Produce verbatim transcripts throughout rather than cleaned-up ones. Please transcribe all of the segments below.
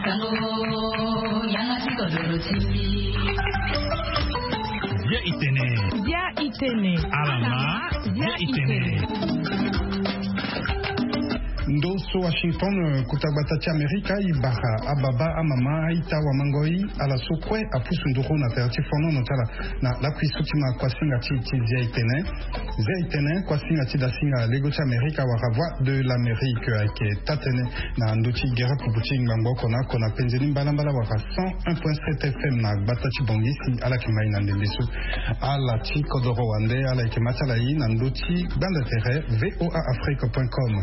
Bia itene. Bia itene. Alama. Bia itene. Ndo so Washington, kuta gbata ti Amerika, e bara ababa, amama, aita, wamangoi, ala so kue apusu nduru na tere ti fonono ti ala na lakui so ti ma kuasinga ti ti Zia itene. Zia itene, kuasinga ti dasinga lego ti Amerika wala Voix de l'Amérique, ayeke taa-tënë na ndö ti gere pupu ti ngbangbo oko na oko na penze ni mbalambala wala cent un point sept F M na gbata ti Bangui si ala yeke mai na ndembe so. Ala ti kodoro wande ala yeke ma ti ala ye na ndö ti gbanda tere V O A Afrique point com.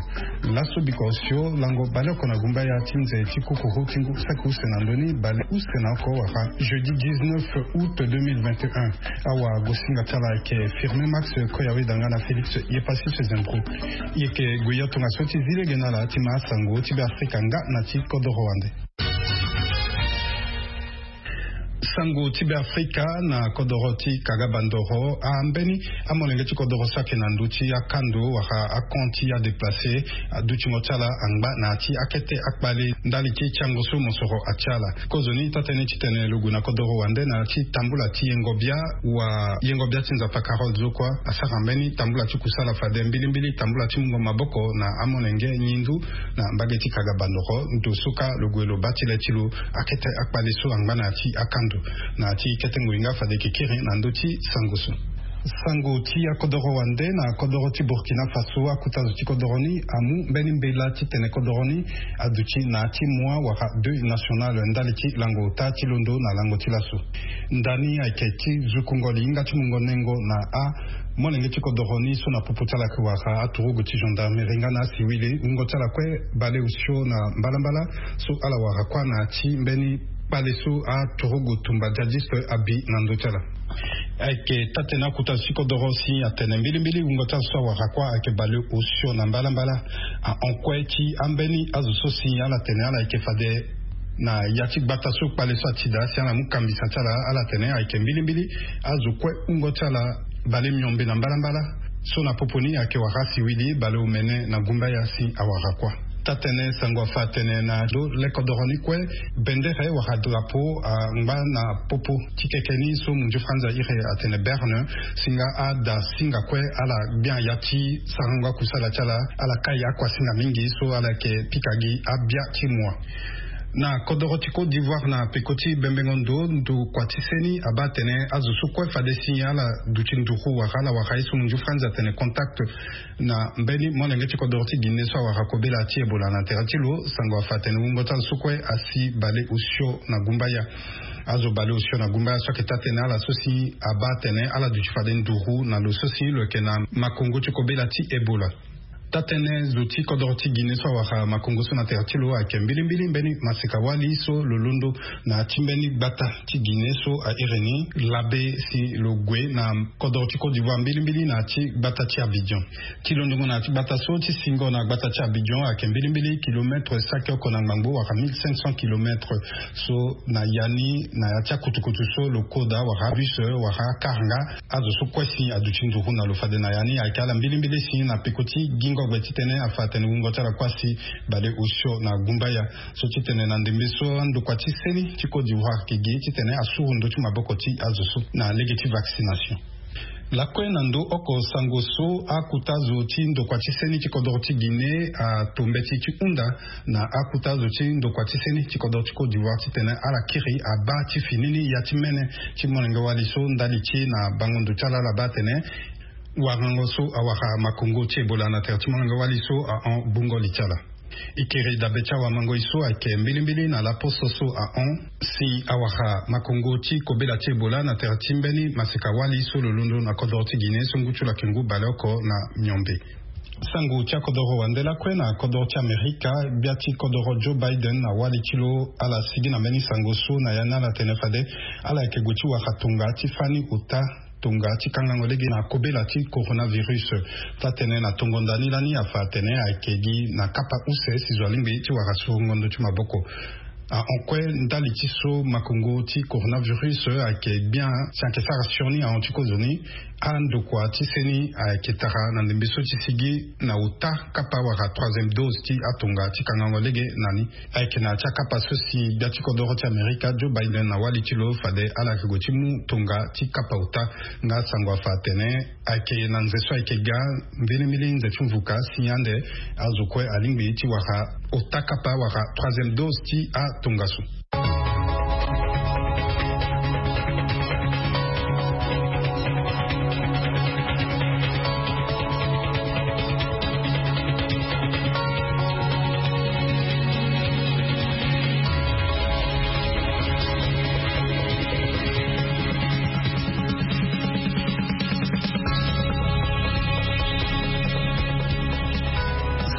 Laso biko osio lango baleoko na gumbaya ti nze ti kukuru ti ngu saki use na ndö ni baleuse na oko wala jeudi dix-neuf août deux mille vingt et un. Awagosinga ti ala ayeke Firmin Max Koyawe Danga na Félix Yepasi Sezembro. E yeke gue ya tongaso ti zi lege na ala ti ma asango ti Beafrika nga na ti kodoro wande. Sango ti Beafrika na kodoro ti kagabandoro. Ambeni amolenge ti kodoro so ayeke na ndö ti akando wala akan ti adéplacé, adutingo ti ala angba na ya ti akete akpale ndali ti tiango so mosoro atia ala. Kozoni taa-tënë ti tene lo gue na kodoro wande na ya ti tambula ti yengo bia wa yengo bia ti Nzapa Carole Zokwa asara mbeni tambula ti kusala fade mbilimbili tambula ti mungo maboko na amolenge ngindu na mbage ti kagabandoro. Ndo so kâ lo gue lo baa ti le ti lo akete akpale so angba na ya ti akando. Na ya ti kete ngoi nga fade e yeke kiri na ndö ti sango so. Sango ti akodoro wande na kodoro ti Burkina Faso, akuta zo ti kodoro ni amu mbeni mbela ti tene kodoro ni aduti na ya ti mois wala deuil national ndali ti lango ota ti londo na lango ti laso. Ndani ayeke ti zukungo li hinga ti mungo nengo na amolenge ti kodoro ni so na popo ti ala ayeke wara aturugu ti gendarmerie nga na asiwili. Wungo ti ala kue baleosio na mbalambala so ala wara kuâ na ya ti mbeni kpale so aturugu tumba djadjiste abi na ndö ti ala. Ayeke taa-tënë akuta zo ti kodoro si atene mbilimbili wungo ti azo so awara kuâ ayeke baleosio na mbalambala. Ahon kue ti ambeni azo so si ala tene ala yeke fade na ya ti gbata so kpale so ati daa si ala mu kambisa ti ala, ala tene ayeke mbilimbili azo kue wungo ti ala balemuiombe na mbalambala. So na popo ni ayeke wara asiwili baleomene na gumbaya si awara kuâ. Taa-tënë sango afa atene na ndo le kodoro ni kue bendere wala drapeau angba na popo ti keke ni so munzu franzi airi atene berne. Singa ada singa kue ala gbia ya ti sarango akusala ti ala, ala kai akuasinga mingi so ala yeke pika gi abia ti mua. Na kodoro ti Côte d'Ivoire na peko ti bembengo ndo, ndokua ti seni abaa atene azo so kue fade si ala duti nduru wala ala wara ye so munzu franzi atene contact na mbeni molenge ti kodoro ti Guinée so awara kobela ti Ebola na tere ti lo. Sango afa atene wungo ti azo so kue asi baleosio na gumbaya. Azo baleosio na gumbaya so ayeke taa-tënë ala so si abaa atene ala duti fade nduru na lo so si lo yeke na makongo ti kobela ti Ebola. Taa-tënë zo ti kodoro ti Guinée so awara makongo so na tere ti lo ayeke mbilimbili mbeni maseka-wali so lo londo na ya ti mbeni gbata ti Guinée so airi ni Labé si lo gue na kodoro ti Côte d'Ivoire mbilimbili na ya ti gbata ti Abidjan. Ti londongo na ya ti gbata so ti singo na gbata ti Abidjan ayeke mbilimbili kilometre saki oko na ngbangbo wala mille cinq cents kilometre. So na ya ni na ya ti akutukutu so lo koda wala bus wala car nga azo so kue si aduti nduru na lo fade na ya ni ayeke ala mbilimbili si na peko ti gingogbe titene afa atene wungo ti ala kue asi baleosio na gumbaya. So titene na ndembe so andokua ti seni ti Côte d'Ivoire ayeke gi titene asuru ndö ti maboko ti azo so na lege ti vaccination. Lakue na ndo oko sango so akuta zo ti ndokua ti seni ti kodoro ti Guinée ato mbeti ti hunda na akuta zo ti ndokua ti seni ti kodoro ti Côte d'Ivoire titene ala kiri abaa ti fini ni ya ti mene ti molenge-wali so ndali ti e na bango ndo ti ala ala baa atene warango so awara makongo ti Ebola na tere ti molenge-wali so ahon gbungo li ti ala. E kiri dabe ti awamangoi so ayeke mbilimbili na laposo so ahon si awara makongo ti kobela ti Ebola na tere ti mbeni maseka-wali so lo londo na kodoro ti Guinée so ngu ti lo ayeke ngu baleoko na miombe. Sango ti akodoro wande lakue na kodoro ti Amerika, gbia ti kodoro Joe Biden na wali ti lo ala sigi na mbeni sango so na ya ni ala tene fade ala yeke gue ti wara tonga ti fani ota tonga ti kangango lege na kobela ti coronavirus. Taa-tënë na tongo nda ni lani afa atene ayeke gi na kapa use si zo alingbi ti wara surongo ndö ti maboko. Ahon kue ndali ti so makongo ti coronavirus ayeke gbia si ayeke sara sioni ahon ti kozoni. Andokua ti seni ayeke tara na ndembe so ti sigi na ota kapa wala troisième dose ti atonga ti kangango lege na ni. Ayeke na ya ti akapa so si gbia ti kodoro ti amerika Joe Biden na wali ti lo fade ala yeke gue ti mu tonga ti kapa ota. Nga sango afa atene ayeke na nze so ayeke ga mbeni mbeni nze ti mvuka si ande azo kue alingbi ti wara ota kapa wala troisième dose ti atongaso.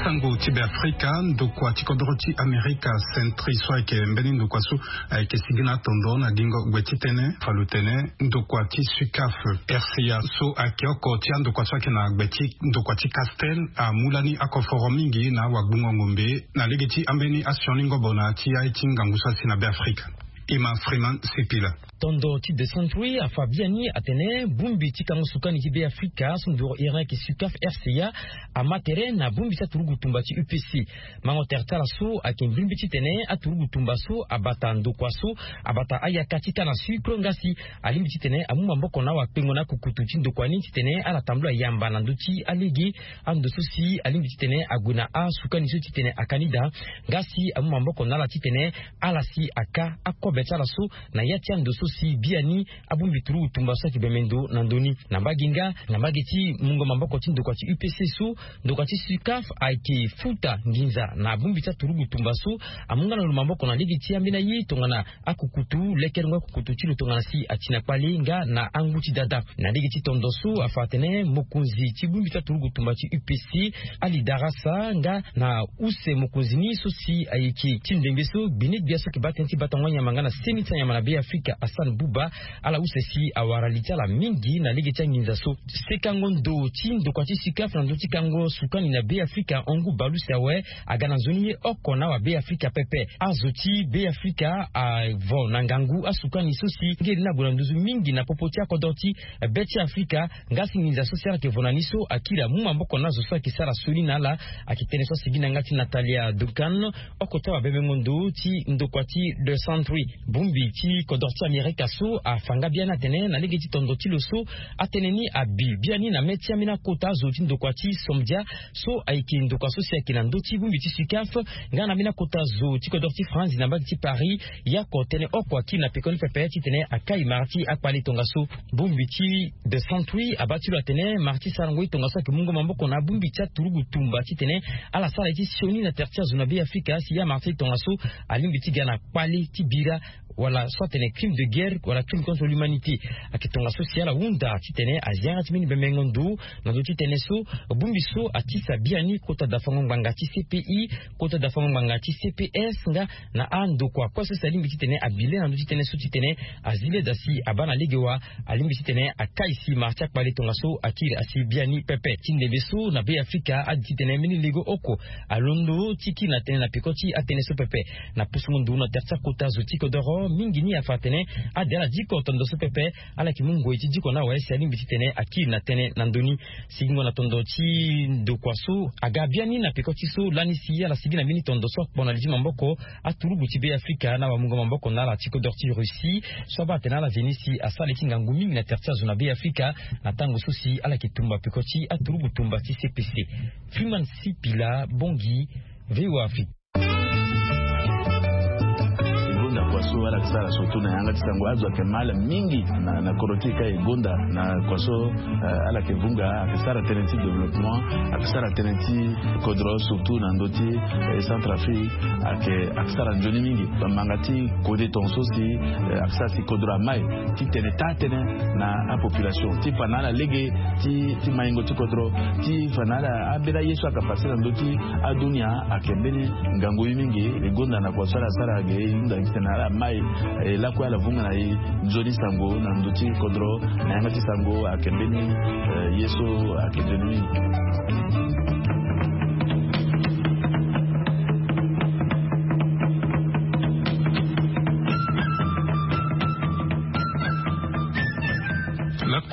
Sango ti beafrika, ndokua ti kodoro ti amerika sentri so ayeke mbeni ndokua so ayeke sigi na atondo na gingo gue titene fa lo tene ndokua ti sukaf rca so ayeke oko ti andokua so ayeke na gbe ti ndokua ti castel amu lani akoforo mingi na wagbungo ngombe na lege ti ambeni asioni ngobo na ya ti aye ti ngangu so asi na beafrika. Ima freeman sipila. Tondo ti de century afa biani atene bongbi ti kango sukani ti beafrika so nduru iran ayeke sukaf rca ama tere na bongbi ti aturugu tumba ti upc. Mango tere ti ala so ayeke mbirimbi titene aturugu tumba so abata ndokua so abata ayaka ti kana sukro nga si alingbi titene amu maboko na awakpengo na akukutu ti ndokua ni titene ala tambula yamba na ndö ti alege ando so si alingbi titene ague na asukani so titene aka ni daa. Nga si amu maboko na ala titene ala si aka akobe ti ala so na ya ti ando so si biani abongbi turugu tumba so ayeke bembe ndo na ndö ni. Na mbage nga na mbage ti mungo maboko ti ndokua ti upc so ndokua ti sukaf ayeke futa nginza na bongbi ti aturugu tumba so amu nga na lo maboko na lege ti ambeni aye tongana akukutu lekerengo akukutu ti lo tongana si ati na kpale nga na angu ti dada. Na lege ti tondo so afa atene mokonzi ti bongbi ti aturugu tumba ti upc ali darasa nga na use mokonzi ni so si ayeke ti ndembe so gbene gbia so ayeke baa tënë ti batango anyama nga na seni ti anyama na beafrika hassan buba. Ala use si awara li ti ala mingi na lege ti anginza so. Sekango ndo ti ndokua ti sukaf na ndö ti kango sukani na beafrika hongu balusi awe aga na nzoni ye oko na awabeafrika pepe. Azo ti beafrika avo na ngangu asukani so si ngeri ni ague na nduzu mingi na popo ti akodro ti be ti afrika. Nga si nginza so si ala yeke vo na ni so akiri amu maboko na azo so ayeke sara sioni na ala. Ayeke tënë so asigi na yanga ti natalia duncan oko ti awabembengo ndo ti ndokua ti de century. Bongbi ti kodro ti amerika so afa nga biani atene na lege ti tondo ti lo so atënë ni abi biani na mê ti ambeni akota azo ti ndokua ti somdia so ayeke ndokua so si ayeke na ndö ti bongbi ti sukaf nga na ambeni akota zo ti kodro ti franzi na mbage ti paris. Ye oko tënë oko akiri na pekoni pepe titene akai mara ti akpale tongaso. Bongbi ti de century abaa ti lo atene mara ti sarango ye tongaso ayeke mungo maboko na abongbi ti aturugu tumba titene ala sara ye ti sioni na tere ti azo na beafrika si ya mara ti tongaso alingbi ti ga na kpale ti bira wala so atene crime de guerre wala crime contre l'humanité. Ayeke tongaso si ala hunda titene azi yanga ti mbeni bembengo ndo na ndö ti tënë so bongbi so atisa biani kota dafango ngbanga ti cpi kota dafango ngbanga ti cps nga na andokua kue so si alingbi titene abi le na ndö ti tënë so titene azi le da si abaa na lege wa alingbi titene akai si mara ti akpale tongaso akiri asi biani pepe ti ndembe so na beafrika adi titene mbeni lego oko alondo ti kiri na tënë na peko ti atënë so pepe. Na pusungo nduru na tere ti akota zo ti kodoro mingi ni afa atene ade ala diko tondo so pepe ala yeke mu ngoi ti diko na awe si alingbi titene akiri na tënë na ndö ni. Sigingo na tondo ti ndokua so aga biani na peko ti so lani si ala sigi na mbeni tondo so akpo na li ti maboko aturugu ti beafrika na wamungo maboko na ala ti kodro ti russie so abaa atene ala veni si asara li ti ngangu mingi na tere ti azo na beafrika na tango so si ala yeke tumba peko ti aturugu tumba ti cpc. Freeman sipila bongi. Voa afrique. Gonda kua so ala yeke sara surtout na yanga ti sango azo ayeke mal mingi na kodro ti e ka e gonda na kua so ala yeke vunga ayeke sara tënë ti développement ayeke sara tënë ti kodro surtout na ndö ti centrafrique. Ayeke ayeke sara nzoni mingi bamanga ti kode tonga so si ayeke sara si kodro amai ti tene taa tënë na apopulation ti fa na ala lege ti maingo ti kodro ti fa na ala ambeni aye so ayeke pase na ndö ti adunia. Ayeke mbeni ngangu ye mingi e gonda na kua so ala sara ge e hunda gi tene ala mai e lakue ala vunga na e nzoni sango na ndö ti kodro na yanga ti sango ayeke mbeni ye so ayeke nzoni mingi.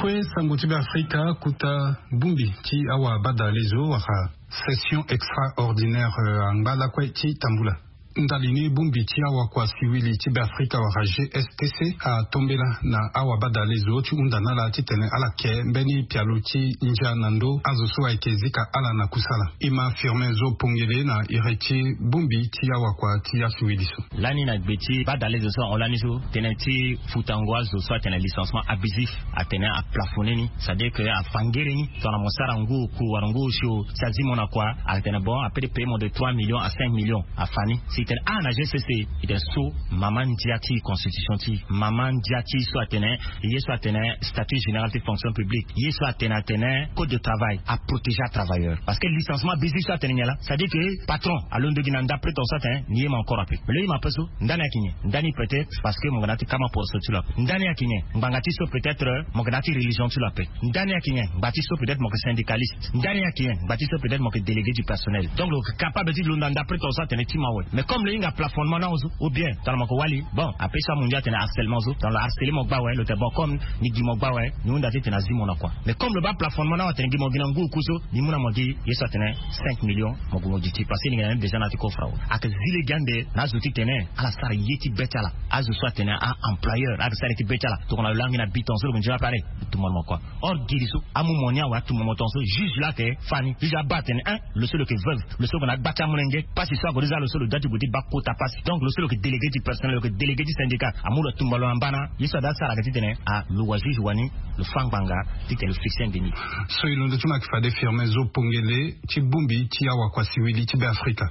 Kue sango ti be afrika kuta bongbi ti awa badalezo wala session extraordinaire angba lakue ti tambula ndali ni bongbi ti awakua siwili ti be afrika wala g s t c atombela na awa badalezo ti hunda na ala titene ala ke mbeni pialo ti ndia na ndo azo so ayeke zika ala na kusala. E ma firme zo pongele na iri ti bongbi ti awakua ti asiwili so. Lani na gbe ti badalezo so ahon lani so tene ti futango azo so atene licencement abusif atene aplafoner ni, c'est à dire ke afa ngere ni tongana mo sara ngu oku wala ngu osio ti azi mo na kua atene bon apede payer mo de trois millions à cinq millions afa ni. Si tene ah na g c c, e tene so mama ndia ti constitution ti mama ndia ti so atene ye so atene statut général ti fonction publique ye so atene atene code de travail aprotéger atravailleur parce que licencement abusif so atene nyen laa, c'est à dire ke patron alondo gi na nda prete so atene ni ye ma encore ape. Mais lo ye ma ape so ndani ayeke nyen? Ndani peut-être parce que mo ga na ti kama poste ti lo ape. Ndani ayeke nyen? Ngbanga ti so peut-être mo ga na ti religion ti lo ape. Ndani ayeke nyen? Ngba ti so peut-être mo yeke syndicaliste. Ndani ayeke nyen? Ngba ti so peut-être mo yeke délégué du personnel. Donc lo yeke capable ti lo na nda prete so atene ti mawe. Mais comme lo hinga plafonnement na azo ou bien tongana mo yeke wali bon ape so amundia atene harcèlement so tongana lo harceler mo gba awe lo tene bon comme ni gi mo gba awe ni hunda titene azi mo na kua. Mais comme lo baa plafonnement na awe atene gi mo gi na ngu oku so ni mu na mo gi ye so atene cinq millions mo gue mo gi ti parce que ni gi na même besoin na ti kofra awe. Ayeke zi lege ande na azo titene ala sara ye ti be ti ala. Azo so atene a employeur ayeke sara ye ti be ti ala tongana lo langi na biton so lo gue nzoni apare lo tumba na mo kua. Or giri so amu mo ni awe atumba mo tonga so juge lo ayeke fa ni juge abaa atene un lo so lo yeke veuve lo so lo gue na agba ti amolenge pasi so ague ti za lo so lo dua ti gue ti baa kota pasi. Donc lo so lo yeke délégué du personnel lo yeke délégué du syndicat amu lo atumba lo na mbana. Ye so ada asara ayeke titene a lo wa juge wani lo fâ ngbanga titene lo fixe ande ni. So e londo ti mo ayeke fade firme zo pongele ti bongbi ti awakua siwili ti be afrika.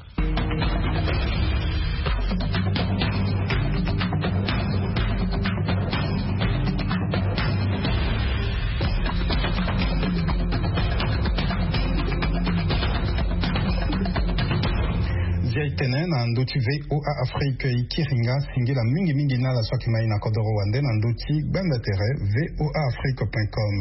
Zia e tene na ndö ti voa afrique e kiri nga singila mingi mingi na ala so ayeke ma e na kodoro wande na ndö ti gbanda tere voa afrique point com.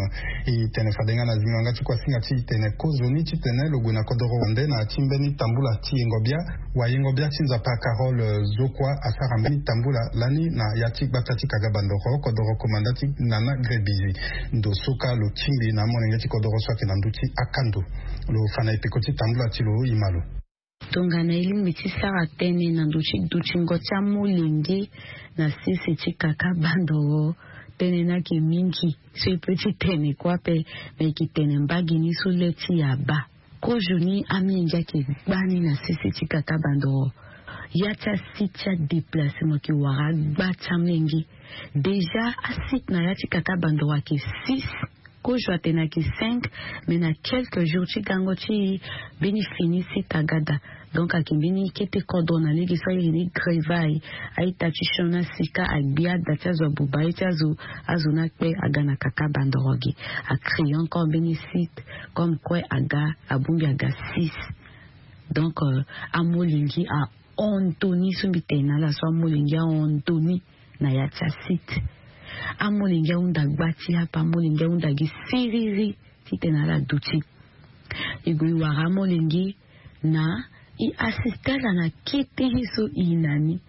E tene fade nga na zingo yanga ti kuasinga ti e tene kozoni titene lo gue na kodoro wande na ya ti mbeni tambula ti yengo bia. Wayengo bia ti nzapa carole zokua asara mbeni tambula lani na ya ti gbata ti kaga bandoro kodoro komanda ti nana grebizi. Ndo so kâ lo tingbi na amolenge ti kodoro so ayeke na ndö ti akando. Lo fa na e peko ti tambula ti lo e ma lo. Tongana e lingbi ti sara tënë na ndo ti dutingo ti amolenge na sese ti kaka bandoro, tënë ni ayeke mingi so e pe ti tene kue ape. Me e yeke tene mbage ni so le ti e abaa. Kozoni amolenge ayeke gbani na sese ti kaka bandoro. Ya ti asite ti adeplace mo yeke wara agba ti amolenge. Déjà asite na ya ti kaka bandoro ayeke six. Kozo atene ayeke cinq. Mais na quelques jours ti gango ti mbeni fini site aga daa. Donc ayeke mbeni kete kodro na lege so airi ni grevai. Aita ti sioni asika agbi ada ti azo abuba ye ti azo. Azo ni akpe aga na kaka bandoro gi. Acréer encore mbeni site comme kue aga abongbi aga six. Donc amolenge ahon ndo ni so mbi tene na ala so amolenge ahon ndo ni. Na ya ti asite amolenge ahunda gba ti ape amolenge ahunda gi siriri. Titene ala duti e gue e wara amolenge na e assiste ala na kete ye so e na ni.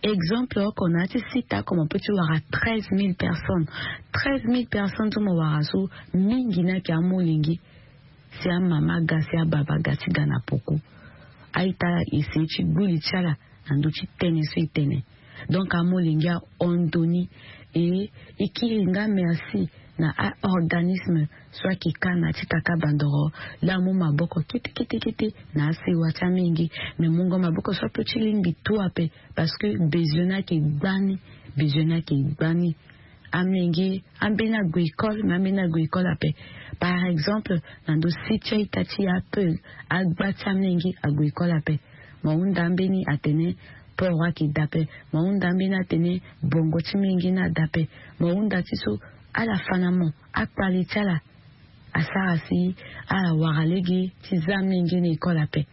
Exemple oko na ya ti site oko mo pe ti wara treize mille personnes. Treize mille personnes so mo wara so mingi ni ayeke amolenge. Si amama aga si ababa aga ti ga na poko. A-ita ese ti gbu li ti ala na ndö ti tënë so e tene. Donc amolenge ahon ndo ni. E e kiri nga merci na a-organisme so ayeke ka na ya ti kaka bandoro. Laa amu maboko kete kete kete na asewa ti amenge. Me mungo maboko so ape ti lingbi tu ape. Parce que besoin ni ayeke gbani. Besoin ni ayeke gbani. Amenge ambeni ague école me ambeni ague école ape. Par exemple na ndo si ti a-ita ti ape agba ti amenge ague école ape. Mo hunda ambeni atene poro ayeke daa ape. Mo hunda ambeni atene bongo ti menge ni adaa ape. Mo hunda ti so ala fa na mo akpale ti ala asara si ala wara lege ti za amenge na école ape.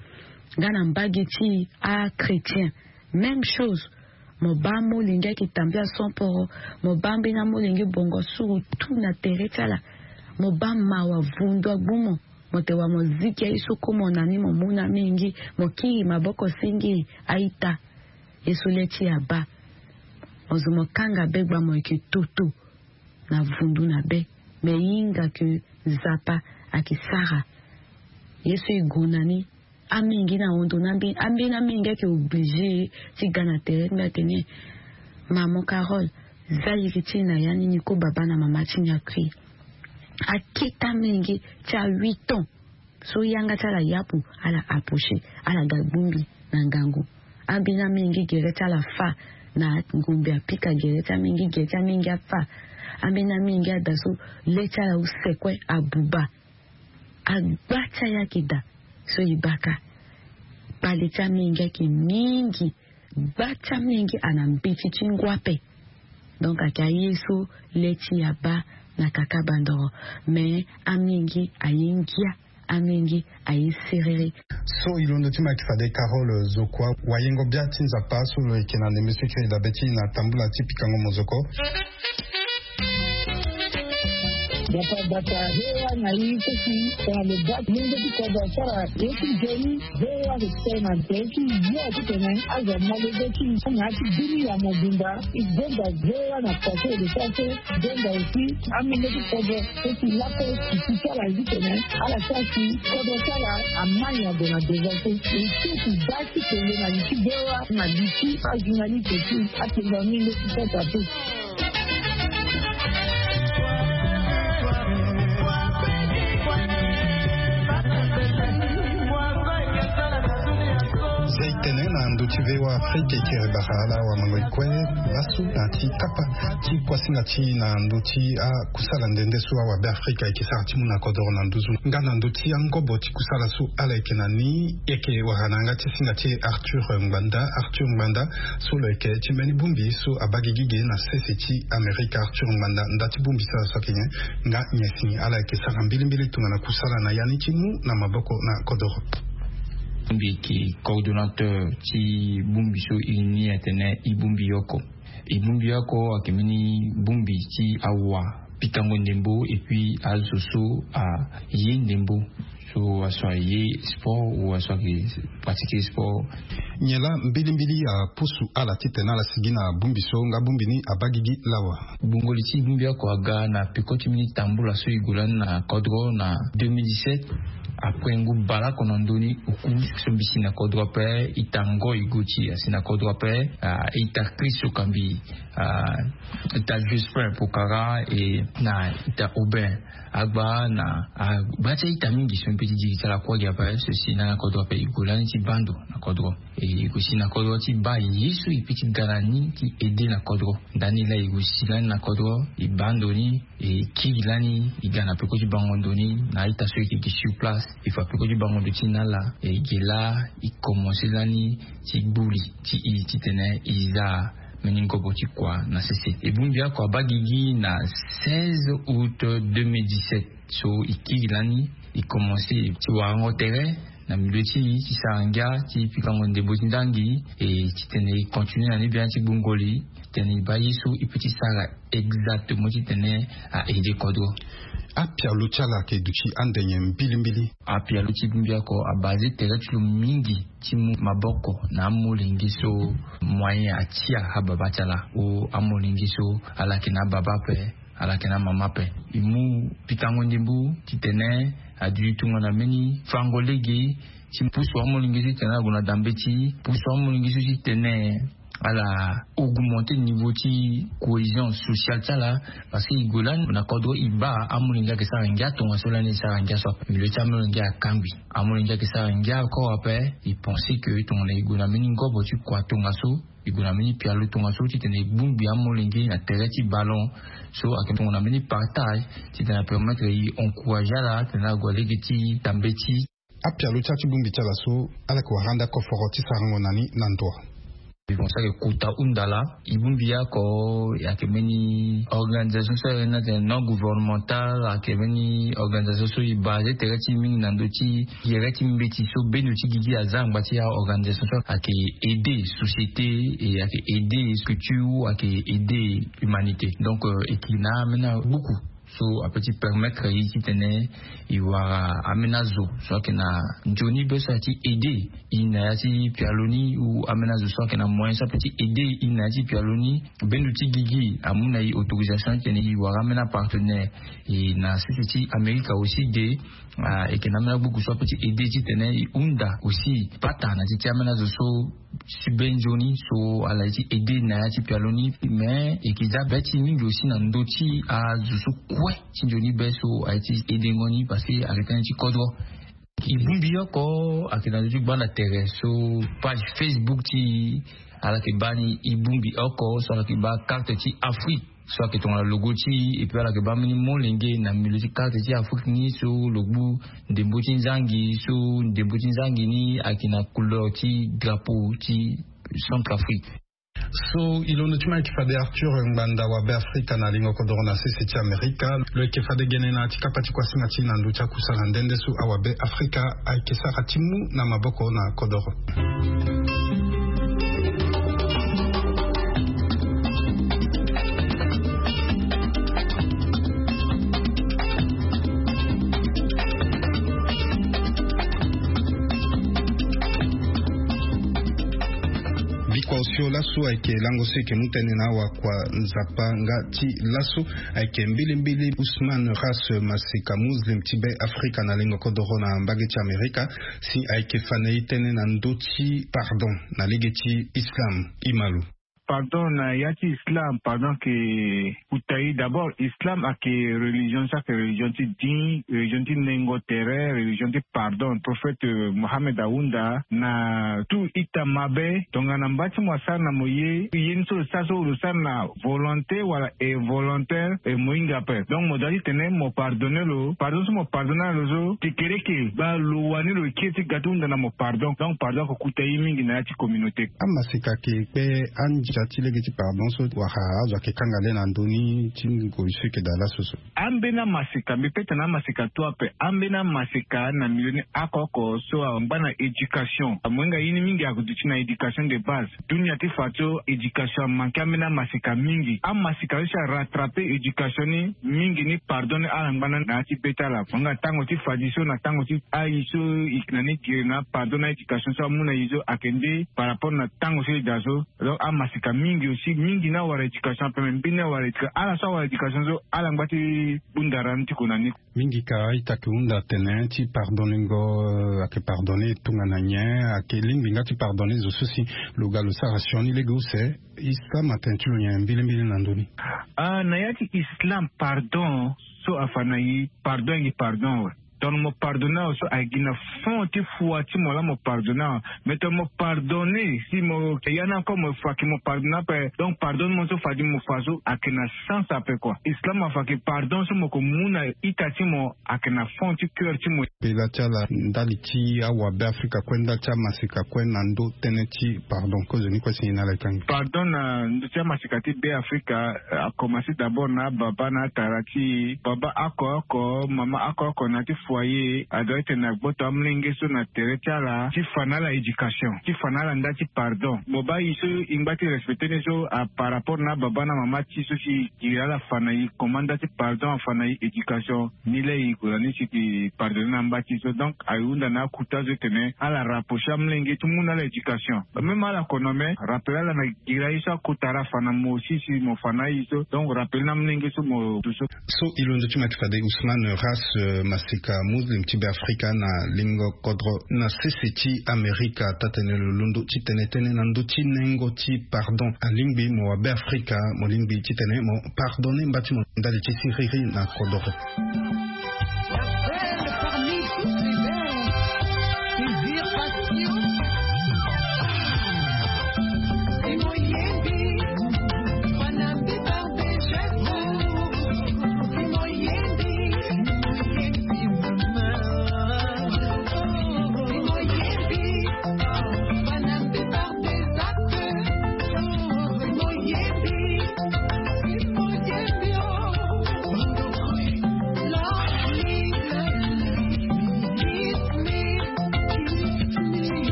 Nga na mbage ti achrétien même chose. Mo baa amolenge ayeke tambela so mporo. Mo baa ambeni amolenge bongo suru tu na tere ti ala. Mo baa mawa vundu agbu mo. Mo te wa mo ziki aye so ko mo na ni mo mu na mingi mo kiri maboko singiri. A-ita ye so le ti e abaa. Mo zo mo kanga begba mo yeke toto. na vundu na be. Me hinga ke Nzapa ayeke sara ye so e gue na ni. Amingi na hondo na ambeni amingi ayeke oblige ti ga na tere ti mbi atene, maman Carole, za iri ti e na ya ni ni ko baba na mama ti ni akui. Akete amingi ti a huit ans so yanga ti ala yapu, ala approcher, ala ga gbongbi na ngangu. Ambeni amingi gere ti ala fa na ngombe apika gere ti amingi gere ti amingi afa. Ambeni amingi ada so le ti ala use kue abuba. Agba ti aye ayeke daa so e baka. Kpale ti amingi ayeke mingi. Gba ti amingi ana mbeti ti ngu ape. Donc ayeke aye so le ti e abaa na kaka bandoro. Me amingi aye ngia. Amingi aye serere. So e londo ti ma yeke fade Carole Zokua, wayengo bia ti Nzapa so lo yeke na ndembe so e kiri dabe ti e na tambula ti pikango mozoko. Bata bata hewa na i kosi tongana lo baa mungo ti kodro asara ye ti nzoni. Hewa lo tene na nzoni ti yo titene azo malege ti na ya ti bini ya mobimba. I gbonga hewa na pase lo sara so gbonga aussi. Amenge ti kodro so si lako si si ti ala zi tene ala sara si kodro ti ala amai na gue na deza so. E so si da ti kele na li ti hewa na li ti ajournaliste ti atenga mingi ti kota so. Za e tene na ndö ti Vewa Afrika e kiri bara ala wamango e kue lasu na ti kapa ti kuasinga ti na ndö ti akusala nde nde so awabe Afrika e ke sara ti mu na kodoro na nduzu nga na ndö ti angobo ti kusala so ala yeke na ni. E yeke wara na yanga ti singa ti e Arthur Ngbanda. Arthur Ngbanda so lo yeke ti mbeni bongbi so abaa gigi ge na sese ti Amerika. Arthur Ngbanda, nda ti bongbi so ala so ayeke nyen? Nga nyen si ala yeke sara mbilimbili tongana kusala na ya ni ti mu na maboko na kodoro? Mbi yeke coordonnateur ti bongbi so e ni atene e bongbi oko. E bongbi oko ayeke mbeni bongbi ti awa pikango ndembo et puis azo so aye ndembo so aso aye sport ou aso ayeke pratiquer sport. Nyen laa mbilimbili apusu ala titene ala sigi na bongbi so nga bongbi ni abaa gigi lawa? Gbongoli ti bongbi oko aga na peko ti mbeni tambula so e gue lani na kodro na deux mille dix-sept. Après ngu baleoko na ndö ni oku so mbi si na kodro ape, ita ngoi go ti asi na kodro ape. Ah, ita Chris Okambi, ah, ita Jospin Pokara et na ita Aubin Agba na agba ti a-ita mingi so mbi pe ti diri ti ala kue gi ape so si na kodro ape e gue lani ti baa ndo na kodro. E gue si na kodro ti baa ye so e pe ti ga na ni ti aide na kodro. Ndani laa e gue si lani na kodro e baa ndo ni. E kiri lani e ga na peko ti bango ndo ni na a-ita so e yeke gi sur place. E fa peko ti bango ndo ti na ala e ge laa e komanse lani ti gbuli ti e titene e za mbeni ngobo ti kua na sese. E bongbi oko abaa gigi na seize août deux mille dix-sept. So e kiri lani e komanse ti warango tere na milieu ti e ti sara ngia ti pikango ndembo ti ndangi. E titene e continue na ni biani ti gbongoli titene e baa ye so e pe ti sara exactement titene a aide kodro. Apialo ti ala ayeke duti ande nyen mbilimbili? Apialo ti bongbi oko abase tere ti lo mingi ti mu maboko na amolenge so moyen atia ababa ti ala. O amolenge so ala yeke na ababa ape, ala yeke na amama ape. E mu pikango ndembo titene aduti tongana mbeni fango lege ti pusu amolenge so titene ala gue na dambe ti pusu amolenge so titene ala augmenter niveau ti cohésion sociale ti ala. Parce que e gue lani na kodro e baa amolenge ayeke sara ngia tongaso lani e sara ngia so ape. Milieu ti amolenge akangbi. Amolenge ayeke sara ngia encore ape. E pense que tongana e gue na mbeni ngobo ti kua tongaso, e gue na mbeni pialo tongaso titene e bongbi amolenge na tere ti ballon. So ayeke tongana mbeni partage titene apermettre e encourager ala titene ala gue lege ti dambe ti. Apialo ti ala ti bongbi ti ala so ala yeke wara ande akoforo ti sarango na ni na ndo. Mbi pense ayeke kota hunda laa. E bongbi oko ayeke mbeni organisation so ayeke na tene non gouvernemental, ayeke mbeni organisation so e base tere ti e mingi na ndö ti gere ti mbeti so bendo ti gigi aza angba ti aorganisation so ayeke aider société et ayeke aider structure, ayeke aider humanité. Donc e yeke na ambeni agbuku So ape ti permettre ye titene e wara amena zo so ayeke na nzoni be so aye ti aide e na ya ti pialo ni ou amena zo so ayeke na moyen so ape ti aide e na ya ti pialo ni. Bendo ti gigi amu na e autorisation titene e wara amena partenaire. E na sese ti amerika aussi de ayeke na amena gbuku so ape ti aide titene e hunda aussi pata na ti ti amena zo so si be nzoni so ala ye ti aide na ya ti pialo ni. Mais e ke za be ti mingi aussi na ndö ti azo so kue ti nzoni be so aye ti aidengo ni parce que ayeke tënë ti kodro. E bongbi oko ayeke na ndö ti gbanda tere so page facebook ti e ala yeke baa ni e bongbi oko so ala yeke baa karte ti afrique so ayeke tongana logo ti e epui ala yeke baa mbeni molenge na milieu ti karte ti afrique ni so lo gbu ndembo ti nzangi so ndembo ti nzangi ni ayeke na couleur ti drapeau ti centrafrique. So e londo ti ma ayeke fade arthur ngbanda wabe afrika na lingo kodoro na sese ti amerika. Lo yeke fade gene na ya ti kapa ti kuasinga ti e na ndö ti akusala nde nde so awabe afrika ayeke sara ti mu na maboko na kodoro. Bikua osio laso ayeke lango so e yeke mu tënë na awakua nzapa nga ti laso. Ayeke mbilimbili usman ras masika muslim ti be afrika na lingo kodoro na mbage ti amerika si ayeke fa na e tënë na ndö ti pardon na lege ti islam. Imalo. Pardon na ya ti islam pardon ayeke kuta e d'abord islam ayeke religion so ayeke religion ti din religion ti nengo tere religion ti pardon prophète mohammed ahunda na tout ita mabe tongana mba ti mo asara na mo ye ye ni so lo sara so lo sara na volonté wala involontaire e mo hinga ape. Donc mo doit ti tene mo pardonner lo pardon so mo pardonner lo so kekereke baa lo wani lo kiri ti ga ti hunda na mo pardon donc pardon ako kuta ye mingi na ya ti communauté. Amasika ke kpe andia ti lege ti pardon so wala azo ayeke kanga le na ndö ni ti ngoi so eke daa laso so. Ambeni amasika mbi peta na amasika tu ape ambeni amasika na milieu ni oko oko so angba na éducation amohinga ye ni mingi ako duti na éducation de base. Dunia ti fa so éducation amanke ambeni amasika mingi amasika so si arattrape éducation ni mingi ni pardon ni ala ngba na na ya ti be ti ala mohinga tango ti fadi so na tango ti ayi so e yeke na ni gere na apardon na éducation so amu na e so ayeke nde par rapport na tango so e daa so. Donc amasika mingi aussi mingi ni awara éducation ape me mbeni awara éducation ala so awara éducation so ala ngba ti bunda ra ni ti ko na ni. Mingi ka a-ita ayeke hunda atene ti pardonningo ayeke pardonne tongana nyen ayeke lingbi nga ti pardonne zo so si lo ga lo sara sioni lege use. Islam atene ti lo nyen mbilimbili na ndö ni? Ah na ya ti islam pardon so afa na e pardon ayeke pardon awe. Tongana mo pardonne awe so ayeke gi na fond ti fua ti mo laa mo pardonne awe. Mais tongana mo pardonne si mo ya ni encore mo fa ke mo pardonne ape donc pardonnement so fadi mo fa so ayeke na sens ape kua. Islam afa ke pardon so mo ko mu na ita ti mo ayeke na fond ti coeur ti mo. Pela ti ala ndali ti awabe afrika kue ndali ti amasika kue na ndö tënë ti pardon kozoni kue si nyen na ala e kangi? Pardon na ndö ti amasika ti be afrika akomanse d'abord na ababa na atara ti e baba oko oko mama oko oko na ya ti foyer adoit ti tene agboto amolenge so na tere ti ala ti fa na ala éducation ti fa na ala nda ti pardon. Mo baa e so e ngba ti respecte ni so a par rapport na ababa na mama ti e so si e giri ala fa na e comment nda ti pardon afa na e éducation. Ni laa e gue na ni si e pardonne na amba ti e so donc aye hunda na akota so e tene ala rapprocher amolenge ti mu na ala éducation. Même ala kono me rappele ala na giri aye so akota ala fa na mo aussi si mo fa na aye so donc rappele na amolenge so mo du so. So e londo ti ma ti fade usman ras masika muslim ti be afrika na lingo kodro na sese ti amerika taa-tene lo londo ti tene tënë na ndö ti nengo ti pardon alingbi mo wabe afrika mo lingbi titene mo pardonne mba ti mo ndali ti siriri na kodoro.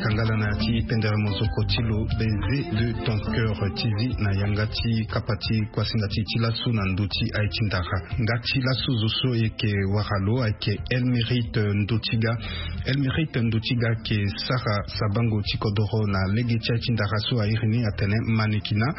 Kangala na ti pendere mozoko ti lo, baiser de ton cœur, ti zi na yanga ti kapa ti kuasinga ti ti laso na ndö ti aye ti ndara. Nga ti laso zo so e yeke wara lo ayeke Elmérite Ndotiga. Elmérite Ndotiga ayeke sara sabango ti kodoro na lege ti aye ti ndara so a iri ni atene mannequinat,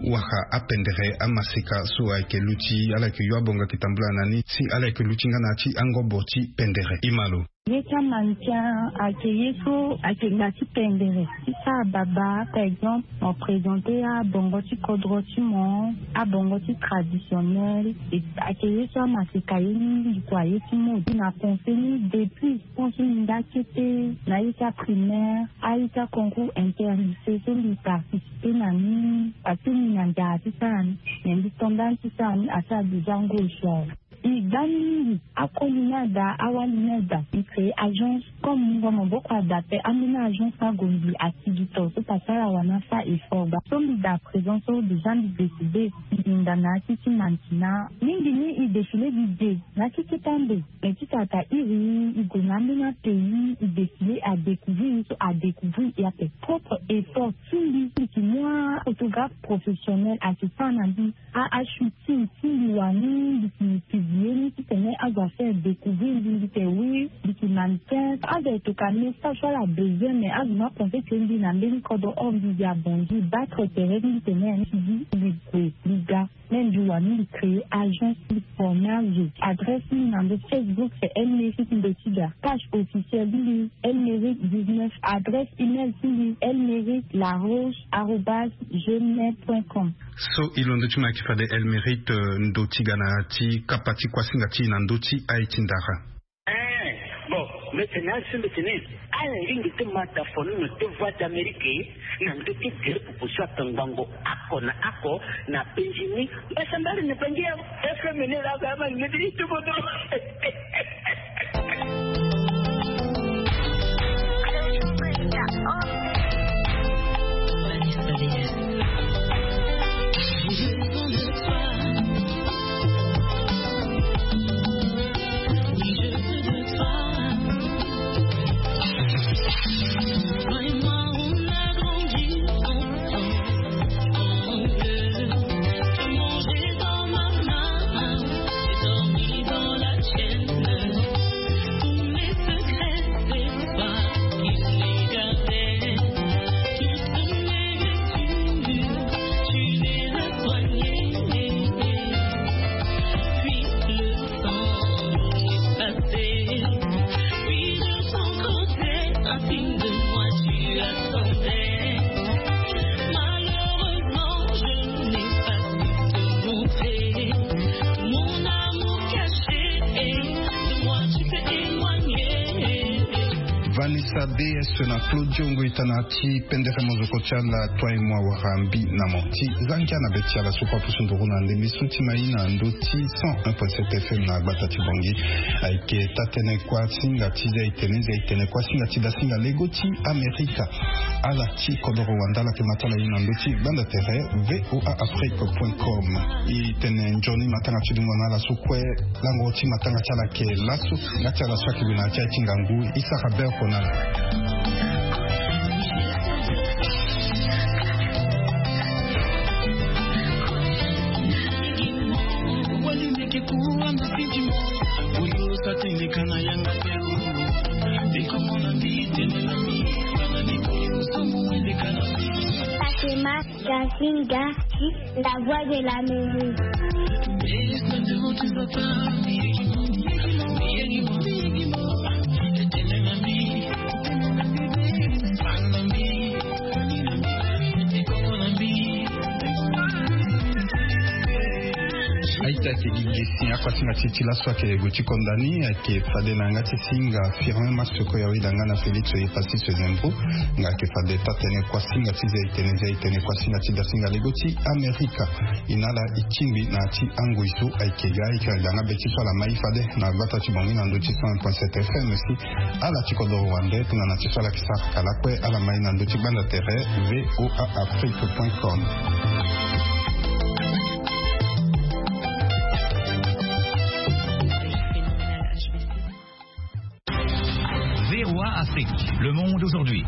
wala apendere amaseka so ayeke luti, ala yeke yo abonga yeke tambula na ni si ala yeke luti nga na ya ti angobo ti pendere. E ma lo. Ye ti amannequin ayeke ye so ayeke nga ti pendere ti sara baba, par exemple mo présenter abongo ti kodro ti mo, abongo ti traditionnel. Ayeke ye so amaseka ye mingi kua, ye ti mode. Na pensé ni depuis tant so mbi nga kete na ye ti aprimaire, aye ti aconcours interlycée so mbi participer na ni, parce que mbi na nzara ti sara ni. Mais mbi to ndani ti sara ni asara déjà ngoi so awe. E gba ni mingi. Akoli ni ada, awali ni ada. Mbi créer agence. Comme mungo maboko ada ape, ambeni agence ni ague mbi asigi to so pasara wani asara effort gba. So mbi daa présent so déjà mbi décider mbi hinga na ya ti ti mannequinat. Mingi ni e défilé gi de na ya ti kete ande. Mais ti tata iri e gue na ambeni apays, e défilé, adécouvrir e so adécouvrir e ape. Propre effort ti mbi. Mbi yeke mu aphotographe professionnel ayeke sara na mbi a, ashooting ti mbi wani, mbi yeke publier ni titene azo afaire découvrir mbi, mbi yeke oui, mbi yeke mannequin. Azo ayeke toka message so ala besoin, mais azo ni apensé que mbi na mbeni kodro, or mbi gi abongi battre tere ti mbi titene mbi gue mbi ga. Même mbi wani mbi créer agence ti former azo. Adresse ni na ndo Facebook c'est Elmérite Ndotiga. Page officielle ti mbi Elmérite dix-neuf. Adresse email ti mbi Elmérite Laroche arobase gmail point com. So e londo ti mo ayeke fade Elmérite, eh, Ndotiga na ya ti kapa ti kuasinga ti e na ndö ti aye ti ndara. Eh, bon, mbi tene asi mbi tene ala lingbi ti ma da foni na ti Voix d'Amérique na ndö ti gere pupu so atongbango oko na oko na penzi ni. Mbasambala na bangi ya F M ni la ga ma ni ti tubodo. Vanessa B S na Claudio Ngoita na ti pendere mozoko ti ala, toi mo awara mbi na mo. Ti za ngia na be ti ala so kue apusu nduru na ndembe so ti ma e na ndö ti cent un point sept F M na gbata ti Bangui. Ayeke taa-tënë kuasinga ti zia-itene, zia-itene kuasinga ti dasinga lego ti Amerika. Ala ti kodoro wande ala yeke ma ti ala ye na ndö ti gbanda tere V O A Afrique point com. E tene nzoni matanga ti dungo na ala so kue. Lango ti matanga ti ala ayeke laso. Nga ti ala so ayeke gue na ya ti aye ti ngangu, e sara be oko na ala. Fatima Gasinga, la voix de l'Amérique. Aita ayeke gi gesi akuasinga ti e ti laso ayeke gue ti konda ni, ayeke fade na yanga ti singa Firmin Masoko Yawida nga na Félix Oyepassis Zembo. Nga ayeke fade taa-tënë kuasinga ti zia-itene, zia-itene kuasinga ti dasinga lego ti Amerika. E na ala e tingbi na ya ti angoi so ayeke ga, e yeke na yanga be ti so ala ma e fade na gbata ti Bangui na ndö ti cent un point sept F M si ala ti kodoro wande tongana ti so ala yeke sara kala kue, ala ma e na ndö ti gbanda tere V O A Afrique point com. V O A Afrique, le monde aujourd'hui.